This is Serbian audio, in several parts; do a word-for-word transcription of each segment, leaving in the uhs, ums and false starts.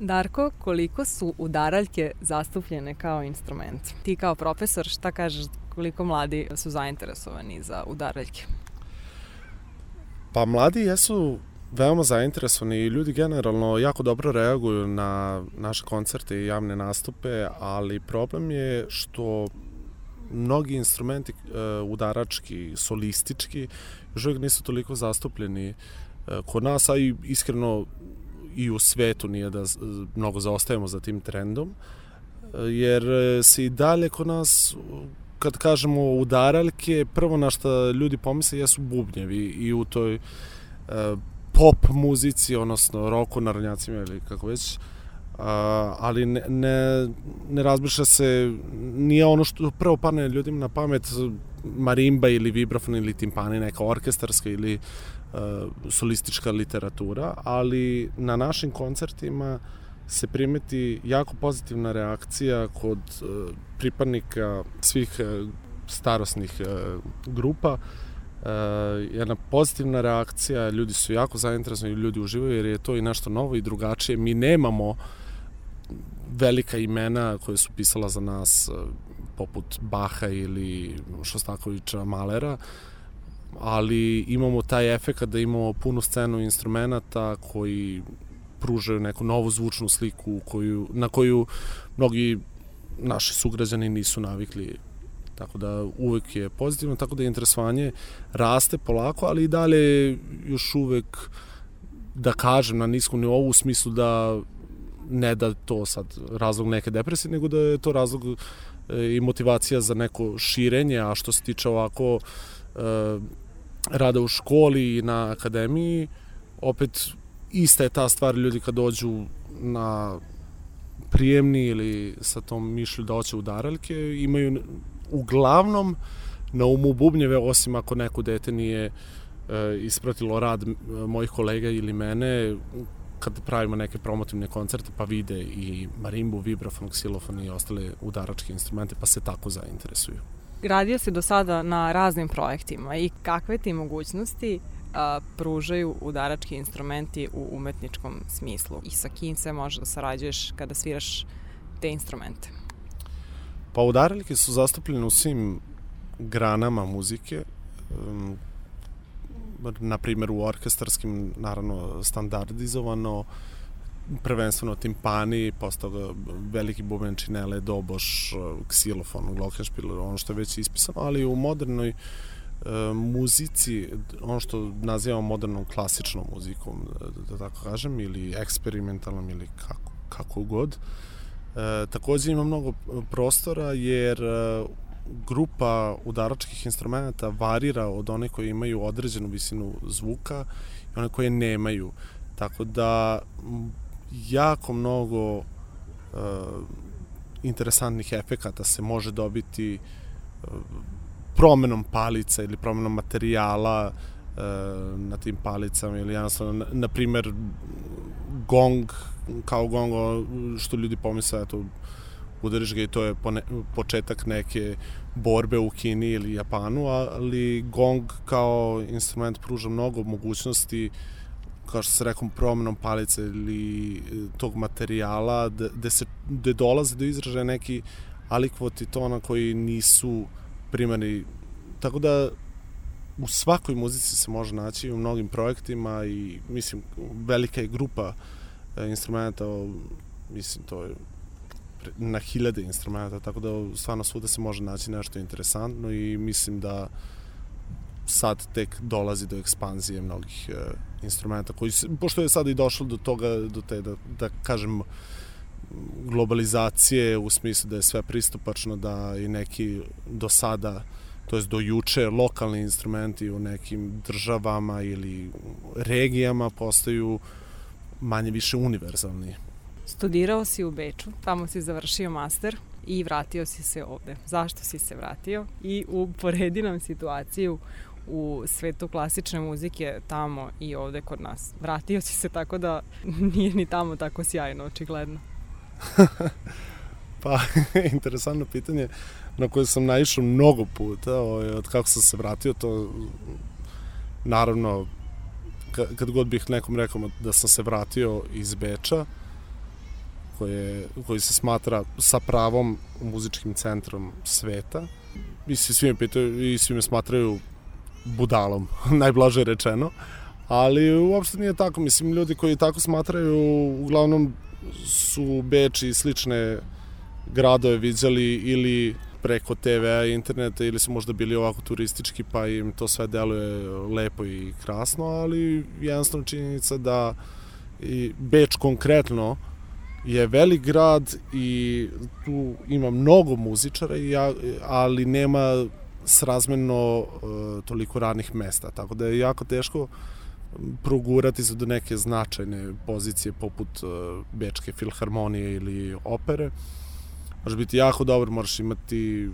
Darko, koliko su udaraljke zastupljene kao instrument? Ti kao profesor, šta kažeš, koliko mladi su zainteresovani za udaraljke? Pa mladi jesu veoma zainteresovani i ljudi generalno jako dobro reaguju na naše koncerte i javne nastupe, ali problem je što mnogi instrumenti udarački, solistički, još uvijek nisu toliko zastupljeni kod nas, a i iskreno i u svetu nije da mnogo zaostajemo za tim trendom, jer se i dalje kod nas, kad kažemo udaraljke, prvo na što ljudi pomisle jesu bubnjevi i u toj pop muzici, odnosno roku, narodnjacima ili kako već, ali ne, ne, ne razmišlja se, nije ono što prvo padne ljudima na pamet marimba ili vibrafon ili timpani, neka orkestarska ili solistička literatura, ali na našim koncertima se primeti jako pozitivna reakcija kod pripadnika svih starosnih grupa. Jedna pozitivna reakcija, ljudi su jako zainteresovani, ljudi uživaju jer je to i nešto novo i drugačije. Mi nemamo velika imena koje su pisala za nas poput Baha ili Šostakovića, Malera, ali imamo taj efekt da imamo punu scenu instrumenta koji pružaju neku novu zvučnu sliku koju, na koju mnogi naši sugrađani nisu navikli. Tako da uvek je pozitivno, tako da interesovanje raste polako, ali i dalje još uvek, da kažem, na niskom nivou u smislu da ne da to sad razlog neke depresije, nego da je to razlog i motivacija za neko širenje, a što se tiče ovako rada u školi i na akademiji, opet ista je ta stvar, ljudi kad dođu na prijemni ili sa tom mišlju da hoće udaraljke, imaju uglavnom na umu bubnjeve, osim ako neko dete nije ispratilo rad mojih kolega ili mene, kad pravimo neke promotivne koncerte pa vide i marimbu, vibrafon, ksilofon i ostale udaračke instrumente, pa se tako zainteresuju. Radio si do sada na raznim projektima i kakve ti mogućnosti a, pružaju udarački instrumenti u umetničkom smislu i sa kim se može da sarađuješ kada sviraš te instrumente? Pa udaraljke su zastupljene u svim granama muzike, um, na primjer u orkestarskim, naravno standardizovano, prvenstveno timpani, posle toga veliki buben, činele, doboš, ksilofon, glockenspiel, ono što je već ispisano, ali u modernoj e, muzici, ono što nazivamo modernom klasičnom muzikom, da tako kažem, ili eksperimentalnom, ili kako, kako god. E, takođe ima mnogo prostora, jer e, grupa udaračkih instrumenta varira od one koje imaju određenu visinu zvuka i one koje nemaju. Tako da jako mnogo uh, interesantnih efekata se može dobiti uh, promenom palica ili promenom materijala uh, na tim palicama ili jednostavno, na, na primer, gong, kao gong, što ljudi pomisle, eto, udariš ga i to je pone, početak neke borbe u Kini ili Japanu, ali gong kao instrument pruža mnogo mogućnosti, kao što se rekom, promenom palice ili tog materijala, gde se gde dolaze do izražaja neki alikvoti tona koji nisu primarni. Tako da u svakoj muzici se može naći, u mnogim projektima, i mislim, velika je grupa instrumenta, mislim, to je na hiljade instrumenta, tako da stvarno svuda se može naći nešto interesantno i mislim da sad tek dolazi do ekspanzije mnogih e, instrumenta, koji se, pošto je sad i došlo do toga, do te, da, da kažem, globalizacije, u smislu da je sve pristupačno, da i neki do sada, to jest do juče, lokalni instrumenti u nekim državama ili regijama postaju manje više univerzalni. Studirao si u Beču, tamo si završio master i vratio si se ovde. Zašto si se vratio? I uporedi nam situaciju u svetu klasične muzike tamo i ovde kod nas. Vratio si se, tako da nije ni tamo tako sjajno, očigledno. Pa, interesantno pitanje na koje sam naišao mnogo puta, od kako sam se vratio, to naravno, kad god bih nekom rekao da sam se vratio iz Beča, koje, koji se smatra sa pravom muzičkim centrom sveta. I svi me pitaju i svi me smatraju budalom, najblaže rečeno. Ali uopšte nije tako. Mislim, ljudi koji tako smatraju uglavnom su Beč i slične gradove viđali ili preko te ve a i interneta ili su možda bili ovako turistički pa im to sve deluje lepo i krasno, ali jednostavno činjenica da i Beč konkretno je velik grad i tu ima mnogo muzičara, ali nema srazmerno uh, toliko radnih mesta, tako da je jako teško progurati se do neke značajne pozicije poput uh, Bečke filharmonije ili opere. Možeš biti jako dobar, moraš imati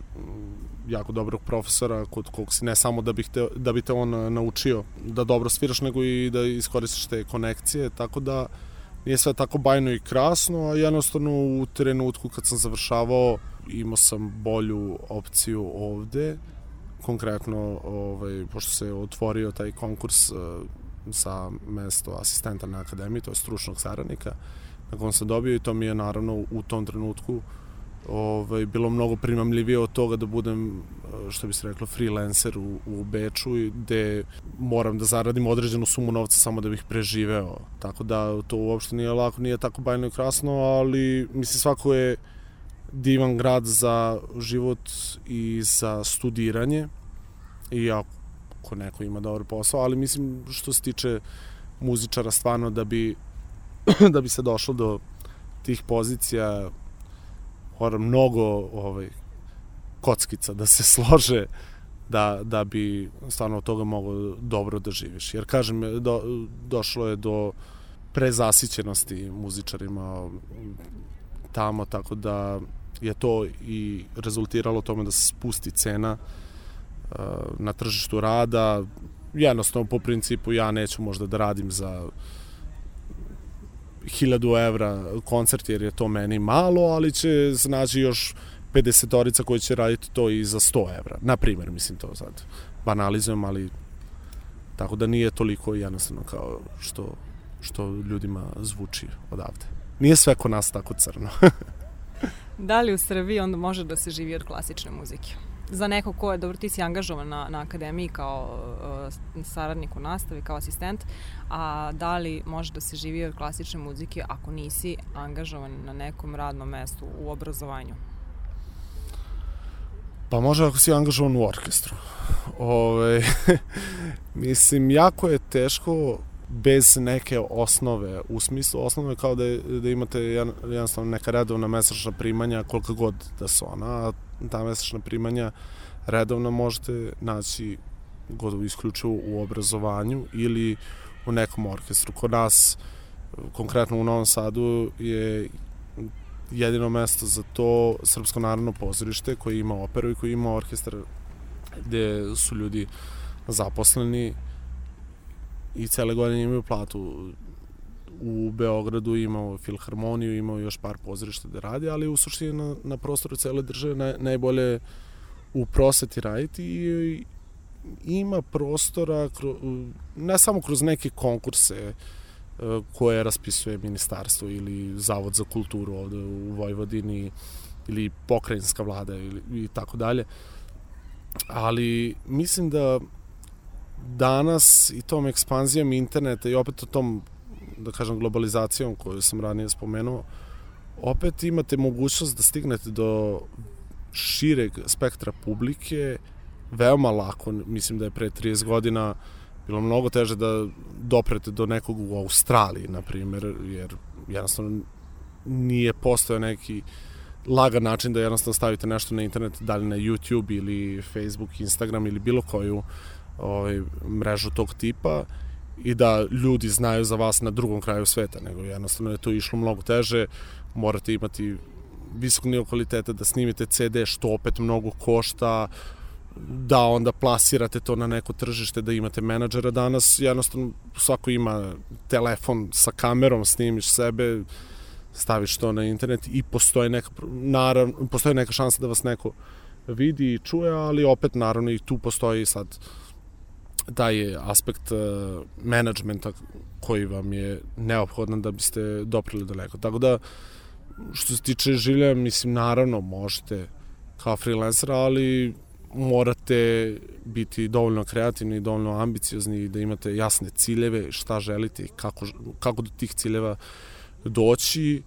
jako dobrog profesora kod kog si ne samo da bi, te, da bi te on naučio da dobro sviraš, nego i da iskoristiš te konekcije, tako da nije sve tako bajno i krasno, a jednostavno u trenutku kad sam završavao imao sam bolju opciju ovde, konkretno ovaj, pošto se otvorio taj konkurs uh, za mesto asistenta na akademiji, to je stručnog saradnika, na kom sam dobio i to mi je naravno u tom trenutku ovaj, bilo mnogo primamljivije od toga da budem, što bi se reklo, freelancer u, u Beču, gde moram da zaradim određenu sumu novca samo da bih preživeo. Tako da to uopšte nije lako, nije tako bajno i krasno, ali mislim svako je divan grad za život i za studiranje i ako neko ima dobar posao, ali mislim što se tiče muzičara stvarno da bi da bi se došlo do tih pozicija mora mnogo ovaj, kockica da se slože da, da bi stvarno od toga mogao dobro da živiš. Jer kažem, do, došlo je do prezasićenosti muzičarima tamo, tako da je to i rezultiralo tome da se spusti cena uh, na tržištu rada. Jednostavno po principu ja neću možda da radim za hiljadu evra koncert jer je to meni malo, ali će se naći još pedesetorica koji će raditi to i za sto evra. Na primjer, mislim to sad banalizujem, ali tako da nije toliko jednostavno kao što, što ljudima zvuči odavde. Nije sve kod nas tako crno. Da li u Srbiji onda može da se živi od klasične muzike? Za neko ko je, dobro, ti si angažovan na, na akademiji kao uh, saradnik u nastavi, kao asistent, a da li može da se živi od klasične muzike ako nisi angažovan na nekom radnom mestu u obrazovanju? Pa može ako si angažovan u orkestru. Ove, mislim, jako je teško bez neke osnove, u smislu osnove kao da, je, da imate jednostavno neka redovna mesečna primanja, koliko god da su ona, a ta mesečna primanja redovno možete naći gotovo isključivo u obrazovanju ili u nekom orkestru. Kod nas, konkretno u Novom Sadu, je jedino mesto za to Srpsko narodno pozorište koje ima operu i koje ima orkestar gde su ljudi zaposleni i cele godine imaju platu. U Beogradu imao filharmoniju, imao još par pozorišta da radi, ali u suštini na, na prostoru cele države naj, najbolje u prosveti raditi i ima prostora kro, ne samo kroz neke konkurse koje raspisuje ministarstvo ili Zavod za kulturu ovde u Vojvodini ili pokrajinska vlada ili, i tako dalje, ali mislim da danas i tom ekspanzijom interneta i opet o tom, da kažem, globalizacijom koju sam ranije spomenuo, opet imate mogućnost da stignete do šireg spektra publike veoma lako. Mislim da je pre trideset godina bilo mnogo teže da doprete do nekog u Australiji, na primjer, jer jednostavno nije postojao neki lagan način da jednostavno stavite nešto na internet, da li na YouTube ili Facebook, Instagram ili bilo koju ovaj, mrežu tog tipa i da ljudi znaju za vas na drugom kraju sveta, nego jednostavno je to išlo mnogo teže, morate imati visok nivo kvaliteta da snimite ce de, što opet mnogo košta, da onda plasirate to na neko tržište, da imate menadžera. Danas jednostavno svako ima telefon sa kamerom, snimiš sebe, staviš to na internet i postoji neka, naravno, postoji neka šansa da vas neko vidi i čuje, ali opet naravno i tu postoji sad taj aspekt uh, menadžmenta koji vam je neophodan da biste doprili daleko. Tako da što se tiče življenja, mislim, naravno možete kao freelancer, ali morate biti dovoljno kreativni i dovoljno ambiciozni i da imate jasne ciljeve, šta želite i kako, kako do tih ciljeva doći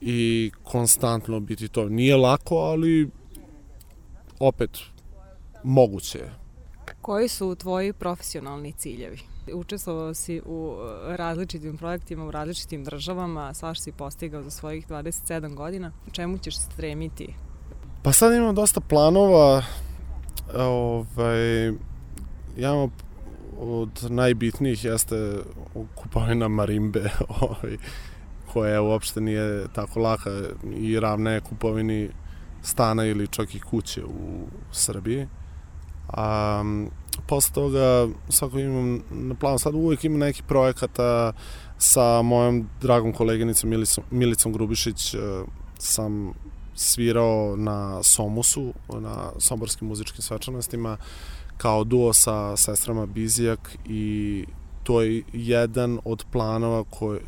i konstantno biti to. Nije lako, ali opet moguće je. Koji su tvoji profesionalni ciljevi? Učestvovao si u različitim projektima, u različitim državama, svašta si postigao za svojih dvadeset sedam godina. Čemu ćeš stremiti? Pa sad imam dosta planova. Ovaj, ja od najbitnijih jeste kupovina marimbe, ovaj, koja uopšte nije tako laka i ravna je kupovini stana ili čak i kuće u Srbiji. A posle toga svako imam na planu, sad uvijek imam neki projekata sa mojom dragom koleginicom Milicom, Milicom Grubišić. Sam svirao na Somusu, na somborskim muzičkim svečanostima kao duo sa sestrama Bizijak i to je jedan od planova koje,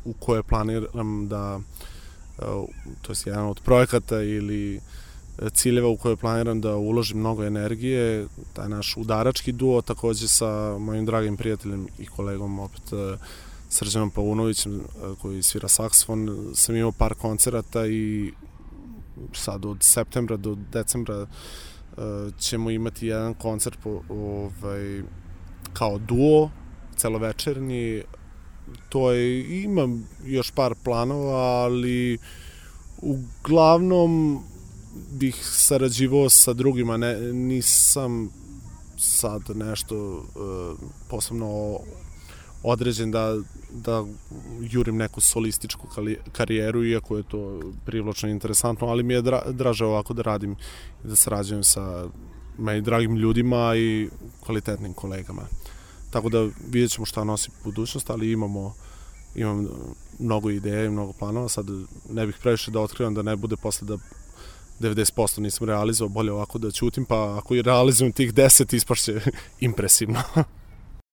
u koje planiram da, to je jedan od projekata ili ciljeva u koje planiram da uložim mnogo energije, taj naš udarački duo, takođe sa mojim dragim prijateljem i kolegom, opet Srđanom Paunovićem, koji svira saksofon. Sam imao par koncerata i sad od septembra do decembra ćemo imati jedan koncert po, ovaj, kao duo, celovečernji. To je, imam još par planova, ali uglavnom bih sarađivao sa drugima, ne, nisam sad nešto uh, posebno određen da, da jurim neku solističku karijeru, iako je to privlačno i interesantno, ali mi je dra, draže ovako da radim i da sarađujem sa meni dragim ljudima i kvalitetnim kolegama. Tako da vidjet ćemo šta nosi budućnost, ali imamo, imam mnogo ideja i mnogo planova. Sad ne bih previše da otkrivam, da ne bude posle da devedeset posto nisam realizovao, bolje ovako da ćutim, pa ako i realizujem tih deset ispašće impresivno.